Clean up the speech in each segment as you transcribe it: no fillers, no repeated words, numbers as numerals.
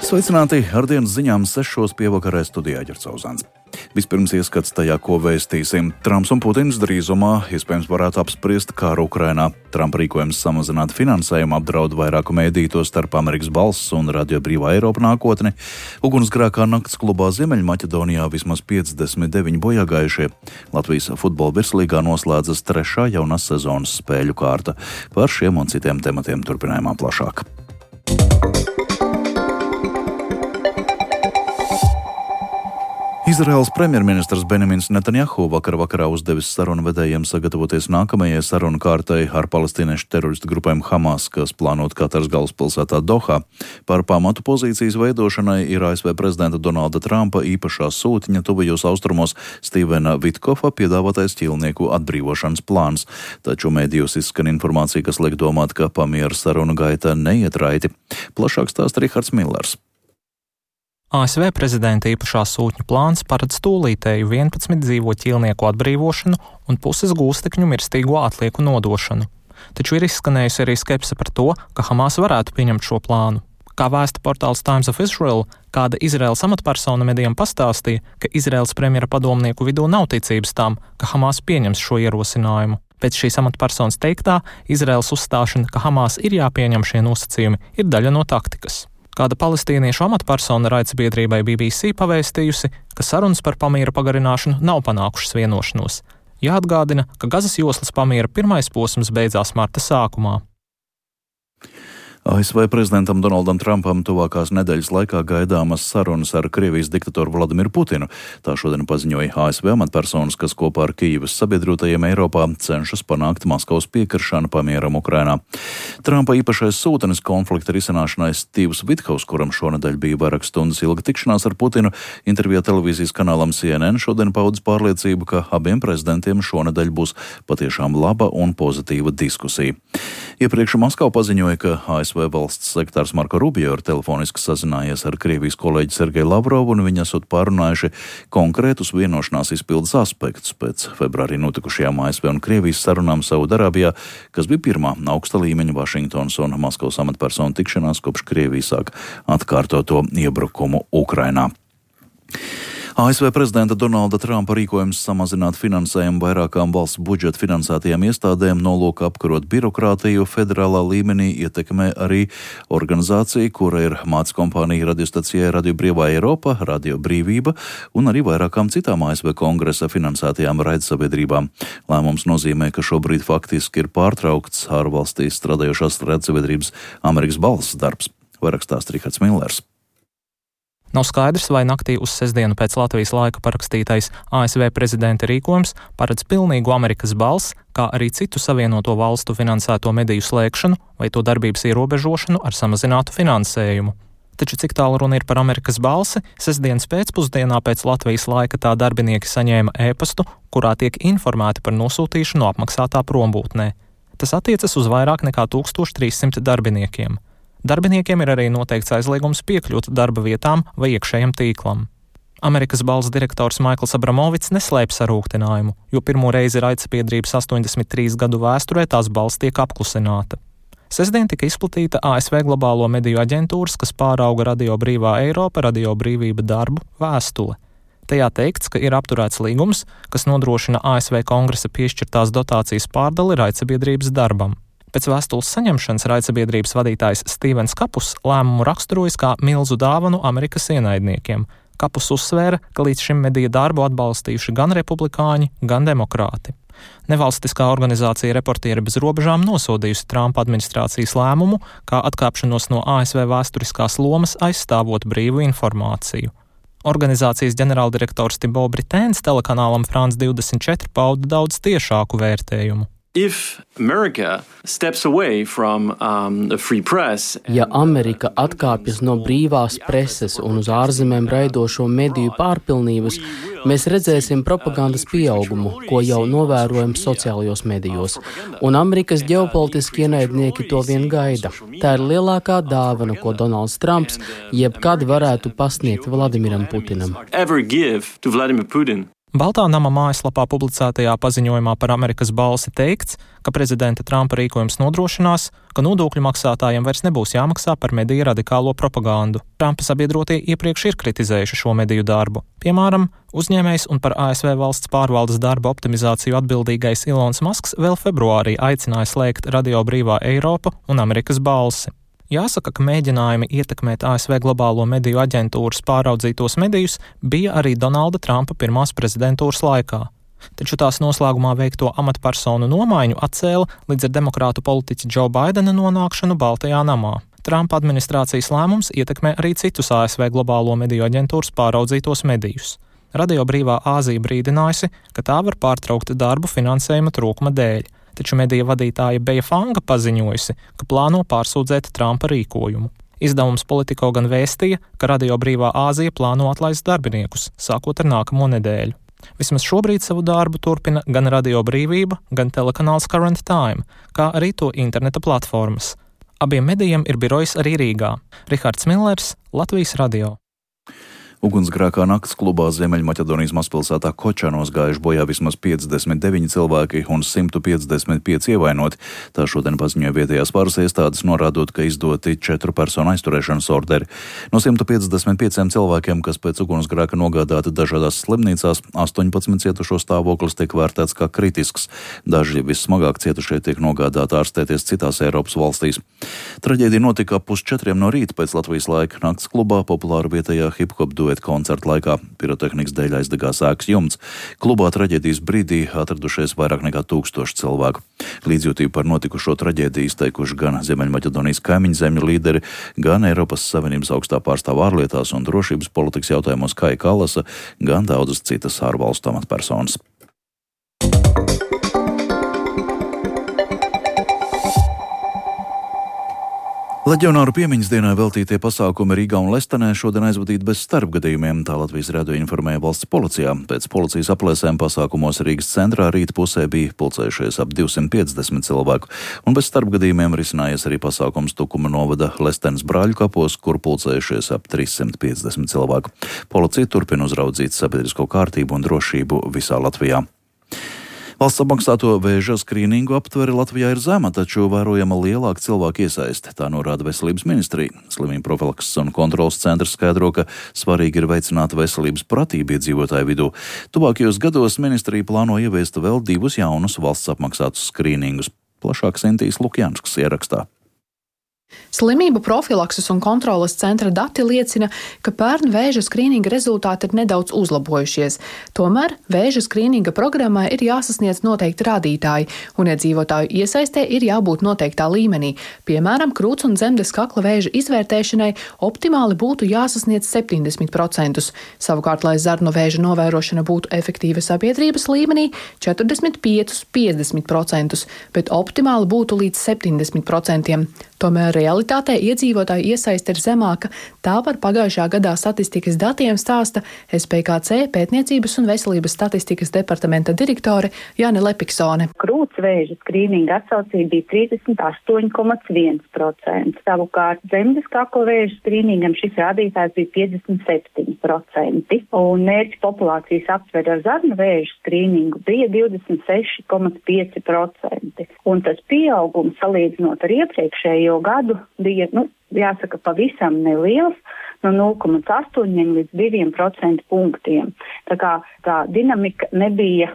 Sveicināti ar dienas ziņām 6 pievakarē studijā Ģercauzāns. Vispirms ieskats tajā, ko vēstīsim. Trumps un Putins drīzumā iespējams varētu apspriest kāru Ukrainā. Trumpa rīkojums samazināt finansējumu apdraud vairāku mēdīju, to starp Amerikas Balss un Radio Brīvā Eiropa nākotni. Ugunsgrēkā nakts klubā Ziemeļmaķedonijā vismaz 59 bojāgājušie. Latvijas futbola virslīgā noslēdzas 3. jaunās sezonas spēļu kārta. Par šiem un citiem tematiem turpinājumā plašāk. Izraēlas premjerministrs Benjamins Netanjahu vakarā uzdevis sarunvedējiem sagatavoties nākamajai sarunu kārtai ar palestīniešu teroristu grupēm Hamas, kas plānot Kataras galvaspilsētā Dohā. Par pamatu pozīcijas veidošanai ir ASV prezidenta Donalda Trumpa īpašā sūtņa tuvajos austrumos Stīvena Vitkofa piedāvātais ķīlnieku atbrīvošanas plāns. Taču mēdījos izskan informācija, kas liek domāt, ka pamiera sarunu gaita neiet raiti. Plašāk stāsta Rihards Millers. ASV prezidenta īpašā sūtņa plāns paredz tūlītēju 11 dzīvo ķīlnieku atbrīvošanu un puses gūstekņu mirstīgo atlieku nodošanu. Taču ir izskanējusi arī skepse par to, ka Hamas varētu pieņemt šo plānu. Kā vēsta portāls Times of Israel, kāda Izraēlas amatpersona medijam pastāstīja, ka Izraēlas premjera padomnieku vidū nav ticības tam, ka Hamas pieņems šo ierosinājumu. Pēc šīs amatpersonas teiktā, Izraēlas uzstāšana, ka Hamas ir jāpieņem šie nosacījumi, ir daļa no taktikas. Kāda palestīniešu amatpersona raidsabiedrībai BBC pavēstījusi, ka sarunas par pamiera pagarināšanu nav panākušas vienošanos. Jāatgādina, ka Gazas joslas pamiera pirmais posms beidzās marta sākumā. ASV prezidentam Donaldam Trumpam tuvākās nedēļas laikā gaidāmas sarunas ar Krievijas diktatoru Vladimiru Putinu. Tā šodien paziņoja ASV amatpersonas, kas kopā ar Kijivas sabiedrotajiem Eiropā cenšas panākt Maskavas piekrišanu pamieram Ukrainā. Trumpa īpašais sūtnis konflikta risināšanai Stīvs Vitkovs, kuram šonedēļ bija vairākas stundas ilga tikšanās ar Putinu, intervijā televīzijas kanālam CNN šodien paudis pārliecību, ka abiem prezidentiem šonedēļ būs patiešām laba un pozitīva diskusija. Iepriekš Maskava paziņoja, ka ASV valsts sekretārs Marko Rubio ir telefoniski sazinājies ar Krievijas kolēģi Sergeju Lavrovu, un viņi esot pārunājuši konkrētus vienošanās izpildes aspektus pēc februārī notikušajām ASV un Krievijas sarunām Saudarābijā, kas bija pirmā augsta līmeņa Vašingtonas un Maskavas amatpersonu tikšanās, kopš Krievija sāk atkārtoto iebrukumu Ukrainā. ASV prezidenta Donalda Trumpa rīkojums samazināt finansējumu vairākām valsts budžeta finansētajām iestādēm nolūka apkarot birokrātiju federālā līmenī ietekmē arī organizācija, kura ir mātes kompānija radiostacijai Radio Brīvā Eiropa, Radio Brīvība un arī vairākām citām ASV kongresa finansētajām raidsabiedrībām. Lēmums nozīmē, ka šobrīd faktiski ir pārtraukts ārvalstīs strādājošās raidsabiedrības Amerikas Balss darbs. Vairāk stāsta Rihards Millers. Nav skaidrs, vai naktī uz sestdienu pēc Latvijas laika parakstītais ASV prezidenta rīkojums paredz pilnīgu Amerikas Balss, kā arī citu savienoto valstu finansēto mediju slēgšanu vai to darbības ierobežošanu ar samazinātu finansējumu. Taču cik tālu runa ir par Amerikas Balsi, sestdienas pēcpusdienā pēc Latvijas laika tā darbinieki saņēma ēpastu, kurā tiek informēti par nosūtīšanu apmaksātā prombūtnē. Tas attiecas uz vairāk nekā 1300 darbiniekiem. Darbiniekiem ir arī noteikts aizliegums piekļūt darba vietām vai iekšējam tīklam. Amerikas Balss direktors Maikls Abramovics neslēpj sarūktinājumu, jo pirmo reizi raidsabiedrības 83 gadu vēsturē tās balss tiek apklusināta. Sestdien tika izplatīta ASV globālo mediju aģentūras, kas pārauga Radio Brīvā Eiropa, Radio Brīvība darbu vēstule. Tajā teikts, ka ir apturēts līgums, kas nodrošina ASV kongresa piešķirtās dotācijas pārdali raidsabiedrības darbam. Pēc vēstules saņemšanas raidsabiedrības vadītājs Stīvens Kapus lēmumu raksturojas kā milzu dāvanu Amerikas ienaidniekiem. Kapus uzsvēra, ka līdz šim mediju darbu atbalstījuši gan republikāņi, gan demokrāti. Nevalstiskā organizācija Reportieri bez robežām nosodījusi Trumpa administrācijas lēmumu, kā atkāpšanos no ASV vēsturiskās lomas aizstāvot brīvu informāciju. Organizācijas ģenerāldirektors Tibo Britēns telekanālam France 24 pauda daudz tiešāku vērtējumu. Ja Amerika atkāpjas no brīvās preses un uz ārzemēm raidošo mediju pārpilnības, mēs redzēsim propagandas pieaugumu, ko jau novērojam sociālajos medijos, un Amerikas ģeopolitiski ienaidnieki to vien gaida. Tā ir lielākā dāvana, ko Donalds Trumps jebkad varētu pasniegt Vladimiram Putinam. Baltā nama mājaslapā publicētajā paziņojumā par Amerikas balsi teikts, ka prezidenta Trumpa rīkojums nodrošinās, ka nodokļu maksātājiem vairs nebūs jāmaksā par mediju radikālo propagandu. Trumpa sabiedrotie iepriekš ir kritizējuši šo mediju darbu. Piemēram, uzņēmējs un par ASV valsts pārvaldes darba optimizāciju atbildīgais Ilons Masks vēl februārī aicināja slēgt Radio Brīvā Eiropa un Amerikas balsi. Jāsaka, ka mēģinājumi ietekmēt ASV globālo mediju aģentūras pāraudzītos medijus bija arī Donalda Trumpa pirmās prezidentūras laikā. Taču tās noslēgumā veikto amatpersonu nomaiņu atcēla līdz ar demokrātu politiķa Joe Bidena nonākšanu Baltajā namā. Trumpa administrācijas lēmums ietekmē arī citus ASV globālo mediju aģentūras pāraudzītos medijus. Radio Brīvā Āzija brīdinājusi, ka tā var pārtraukt darbu finansējuma trūkuma dēļ. Taču medija vadītāja Beja Fanga paziņojusi, ka plāno pārsūdzēt Trumpa rīkojumu. Izdevums Politico gan vēstīja, ka Radio Brīvā Āzija plāno atlaist darbiniekus, sākot ar nākamo nedēļu. Vismaz šobrīd savu darbu turpina gan Radio Brīvība, gan telekanāls Current Time, kā arī to interneta platformas. Abiem medijiem ir birojs arī Rīgā. Rihards Millers, Latvijas radio. Ugunsgrēkā nakts klubā Ziemeļmaķedonijas mazpilsētā Kočanos gājuši bojā vismaz 59 cilvēki un 155 ievainoti. Tā šodien paziņoja vietējās varas iestādes, norādot, ka izdoti 4 personu aizturēšanas orderi. No 155 cilvēkiem, kas pēc ugunsgrēka nogādāti dažādās slimnīcās, 18 cietušo stāvoklis tiek vērtēts kā kritisks. Daži vissmagāk cietušie tiek nogādāti ārstēties citās Eiropas valstīs. Traģēdija notika 3:30 no rīta pēc Latvijas laika. Nakts klubā populāra vietējā hip-hop koncerta laikā pirotehnikas dēļ aizdegās ēkas jumts. Klubā traģēdijas brīdī atradušies vairāk nekā 1000 cilvēku. Līdzjūtību par notikušo traģēdiju izteikuši gan Ziemeļmaķedonijas kaimiņu zemju līderi, gan Eiropas Savienības augstā pārstāvja ārlietās un drošības politikas jautājumos Kaja Kallasa, gan daudzas citas ārvalstu amatpersonas. Leģionāru piemiņas dienai veltītie pasākumi Rīgā un Lestenē šodien aizvadīti bez starpgadījumiem, tā Latvijas radio informēja valsts policijā. Pēc policijas aplēsēm pasākumos Rīgas centrā rīta pusē bija pulcējušies ap 250 cilvēku, un bez starpgadījumiem risinājies arī pasākums Tukuma novada Lestenes brāļu kapos, kur pulcējušies ap 350 cilvēku. Policija turpina uzraudzīt sabiedrisko kārtību un drošību visā Latvijā. Valsts apmaksāto vēža skrīningu aptvere Latvijā ir zema, taču vērojama lielāka cilvēku iesaiste, tā norāda Veselības ministrija. Slimību profilakses un kontrolas centrs skaidro, ka svarīgi ir veicināt veselības pratību iedzīvotāju vidū. Tuvākajos gados ministrija plāno ieviest vēl 2 jaunus valsts apmaksātus skrīningus. Plašāk Sintīs Lukjanskas ierakstā. Slimību profilakses un kontroles centra dati liecina, ka pērn vēža skrīninga rezultāti ir nedaudz uzlabojušies. Tomēr vēža skrīninga programmai ir jāsasniedz noteikti rādītāji, un iedzīvotāju iesaistē ir jābūt noteiktā līmenī. Piemēram, krūts un dzemdes kakla vēža izvērtēšanai optimāli būtu jāsasniedz 70%. Savukārt, lai zarnu vēža novērošana būtu efektīva sabiedrības līmenī, 45–50%, bet optimāli būtu līdz 70%. Tomēr realitātē iedzīvotāju iesaiste ir zemāka, tā par pagājušā gadā statistikas datiem stāsta SPKC pētniecības un veselības statistikas departamenta direktore Jāne Lepiksone. Krūts vēža skrīninga atsaucība bija 38,1%. Savukārt dzemdes kakla vēža skrīningam šis rādītājs bija 57%. Un mērķa populācijas aptver ar zarnu vēža skrīningu bija 26,5%. Un tas pieaugums salīdzinot ar iepriekšējo gadu bija, jāsaka, pavisam neliels, no 0,8 līdz 2% punktiem. Tā kā tā dinamika nebija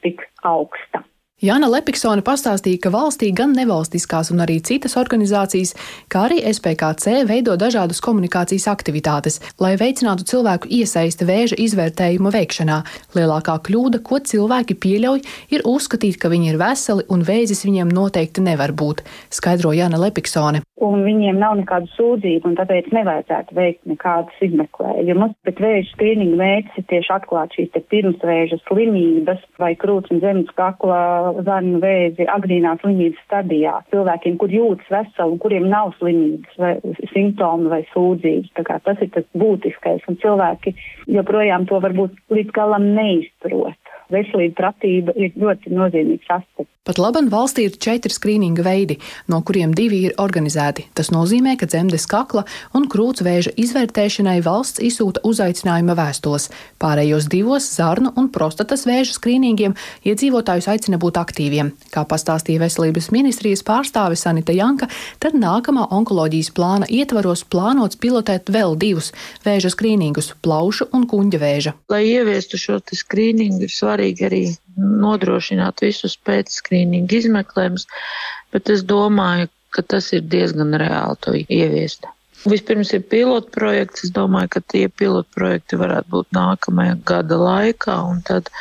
tik augsta. Jāna Lepiksone pastāstīja, ka valstī gan nevalstiskās un arī citas organizācijas, kā arī SPKC veido dažādas komunikācijas aktivitātes, lai veicinātu cilvēku iesaisti vēža izvērtējuma veikšanā. Lielākā kļūda, ko cilvēki pieļauj, ir uzskatīt, ka viņi ir veseli un vēzis viņiem noteikti nevar būt, skaidro Jāna Lepiksone. Un viņiem nav nekādu sūdzību, un tāpēc nevajadzētu veikt nekādus izmeklējumus. Bet vēža skrīninga mērķis ir tieši atklāt šīs pirmsvēža slimības vai krūts un dzemdes kakla zarnu vēzi agrīnās slimības stadijā. Cilvēkiem, kur jūtas veseli un kuriem nav slimības vai simptomi vai sūdzības. Tā kā tas ir tas būtiskais, un cilvēki joprojām to varbūt līdz galam neizprot. veselība, pratība ir ļoti nozīmīgs aspekts. Pat laban valstī ir 4 skrīninga veidi, no kuriem 2 ir organizēti. Tas nozīmē, ka dzemdes kakla un krūts vēža izvērtēšanai valsts izsūta uzaicinājuma vēstules. Pārējos 2 zarnu un prostatas vēža skrīningiem iedzīvotājus aicina būt aktīviem. Kā pastāstīja Veselības ministrijas pārstāve Sanita Janka, tad nākamā onkoloģijas plāna ietvaros plānots pilotēt vēl 2 vēža skrīningus – plaušu un kuņģa vēža. Lai ieviestu šo skrīningu, ir svarīgi arī nodrošināt visus pēcskrīningu izmeklējumus, bet es domāju, ka tas ir diezgan reāli to ieviest. Vispirms ir pilotprojekts, es domāju, ka tie pilotprojekti varētu būt nākamajā gada laikā, un tad,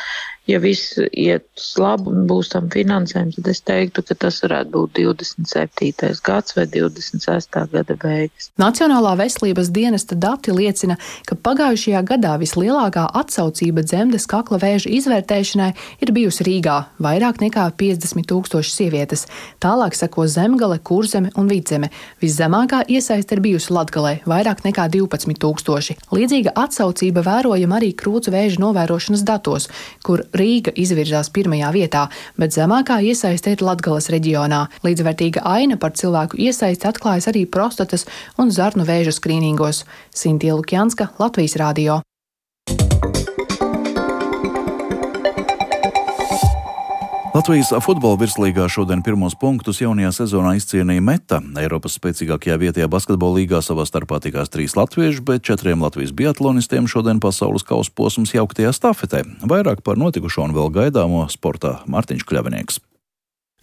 ja viss iet labi un būs tam finansējums, tad es teiktu, ka tas varētu būt 27. gads vai 26. gada beigas. Nacionālā veselības dienesta dati liecina, ka pagājušajā gadā vislielākā atsaucība dzemdes kakla vēža izvērtēšanai ir bijusi Rīgā – vairāk nekā 50 000 sievietes. Tālāk seko Zemgale, Kurzeme un Vidzeme. Viszemākā iesaiste ir bijusi Latgalē – vairāk nekā 12 000. Līdzīga atsaucība vērojama arī krūts vēža novērošanas datos, kur Rīga izvirzās 1. vietā, bet zemākā iesaiste ir Latgales reģionā. Līdzvērtīga aina par cilvēku iesaisti atklājas arī prostatas un zarnu vēža skrīningos. Sintīja Lukjanska, Latvijas radio. Latvijas futbola virslīgā šodien pirmos punktus jaunajā sezonā izcīnīja Meta. Eiropas spēcīgākajā vietējā basketbola līgā savā starpā tikās 3 latvieši, bet 4 Latvijas biatlonistiem šodien pasaules kausa posms jauktajā stafetē. Vairāk par notikušo un vēl gaidāmo sportā Mārtiņš Kļavinieks.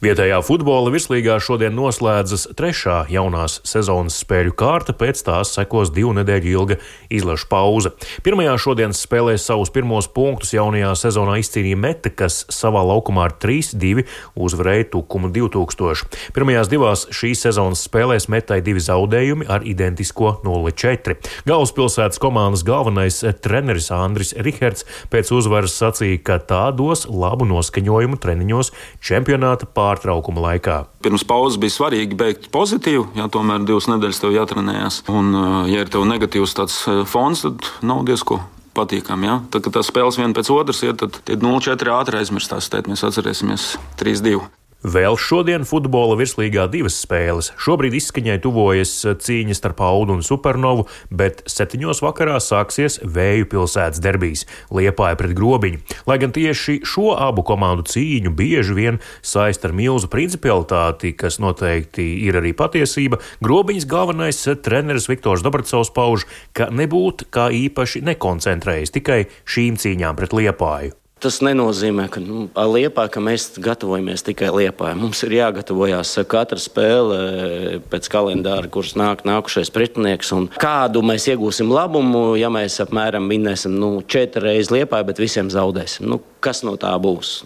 Vietējā futbola virslīgā šodien noslēdzas 3. jaunās sezonas spēļu kārta, pēc tās sekos 2 nedēļu ilga izlašu pauze. Pirmajā šodienas spēlē savus pirmos punktus jaunajā sezonā izcīnīja Meta, kas savā laukumā ar 3-2 uzvarēja Tukumu 2000. Pirmajās 2 šīs sezonas spēlēs Metai 2 zaudējumi ar identisko 0-4. Galvaspilsētas komandas galvenais treneris Andris Riherts pēc uzvaras sacīja, ka tā dos labu noskaņojumu treniņos čempionāta pārtraukuma laikā. Pirms pauzes bija svarīgi beigt pozitīvi, ja tomēr 2 nedēļas tev jātrenējās. Un, ja ir tev negatīvs tāds fons, tad nav diezko patīkami. Ja? Tad, kad tās spēles viena pēc otras iet, tad tie 0-4 ātri aizmirstās. Tēt mēs atcerēsimies 3-2. Vēl šodien futbola virslīgā 2 spēles. Šobrīd izskaņai tuvojas cīņa starp Audu un Supernovu, bet 7. vakarā sāksies Vēju pilsētas derbijs Liepāja pret Grobiņu. Lai gan tieši šo abu komandu cīņu bieži vien saist ar milzu principialitāti, kas noteikti ir arī patiesība, Grobiņas galvenais treneris Viktors Dobracovs pauž, ka nebūtu kā īpaši nekoncentrējas tikai šīm cīņām pret Liepāju. Tas nenozīmē, ka Liepāja, ka mēs gatavojamies tikai Liepāja. Mums ir jāgatavojās katra spēle pēc kalendāra, kurš nākušais pretinieks. Un kādu mēs iegūsim labumu, ja mēs apmēram vinnēsim 4 reizes Liepāja, bet visiem zaudēsim. Kas no tā būs?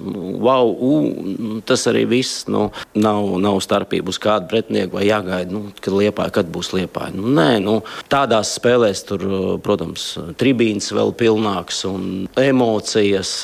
Tas arī viss. Nav starpība uz kādu pretinieku vai jāgaida, kad Liepāja, kad būs Liepāja. Tādās spēlēs tur, protams, tribīns vēl pilnāks un emocijas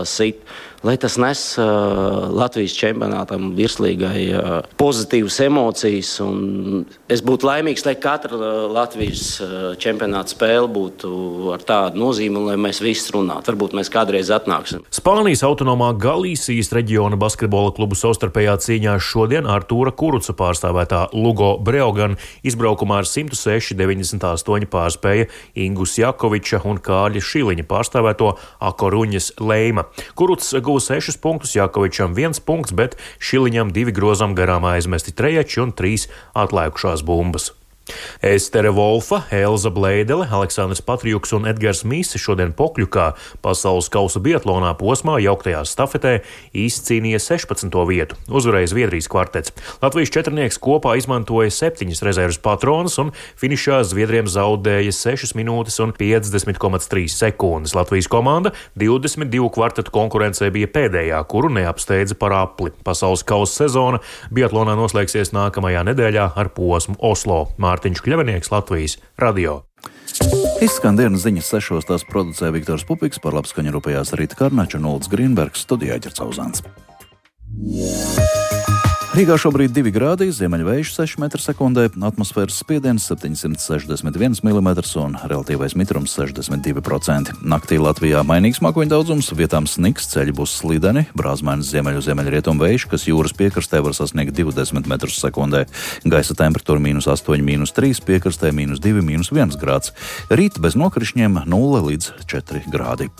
sit. Lai tas nes Latvijas čempionātam virslīgai pozitīvas emocijas. Un es būtu laimīgs, lai katra Latvijas čempionāta spēle būtu ar tādu nozīmi, lai mēs visi runātu. Varbūt mēs kādreiz atnāksim. Spānijas autonomā Galīsijas reģiona basketbola klubu savstarpējā cīņā šodien Artūra Kuruca pārstāvētā Lugo Breogan izbraukumā ar 106-98 pārspēja Ingus Jakoviča un Kārļa Šiliņa pārstāvēto Akoruņas Leima. Kurucs 6 punktus, Jakovičam 1 punkts, bet Šiliņam 2 grozam garām aizmesti trejači un 3 atlēkušās bumbas. Estere Volfa, Elza Bleidele, Aleksandrs Patrijuks un Edgars Mīse šodien Pokļukā pasaules kausa biatlonā posmā jauktajā stafetē izcīnīja 16. vietu. Uzvarēja Zviedrijas kvartets. Latvijas četrnieks kopā izmantoja 7 rezerves patronas un finišā Zviedriem zaudēja 6 minūtes un 50,3 sekundes. Latvijas komanda 22 kvartetu konkurencē bija pēdējā, kuru neapsteidza par apli. Pasaules kausa sezona biatlonā noslēgsies nākamajā nedēļā ar posmu Oslo. Mārtiņš Kļavinieks, Latvijas radio. Izskan dienas ziņas 6. Tās producē Viktors Pupiks, par labskaņu rūpējās Rīta Karnača un Ulds Grīnbergs, studijā Ģercauzāns. Rīgā šobrīd 2 grādi, ziemeļvējš 6 m/sekundē, atmosfēras spiediens 761 mm un relatīvais mitrums 62%. Naktī Latvijā mainīgs mākoņu daudzums, vietām sniks, ceļi būs slideni, brāzmainis ziemeļrietumu vējš, kas jūras piekrastē var sasniegt 20 m/sekundē. Gaisa temperatūra -8, -3, piekrastē -2, -1 grāds. Rīt bez nokrišņiem 0 līdz 4 grādi.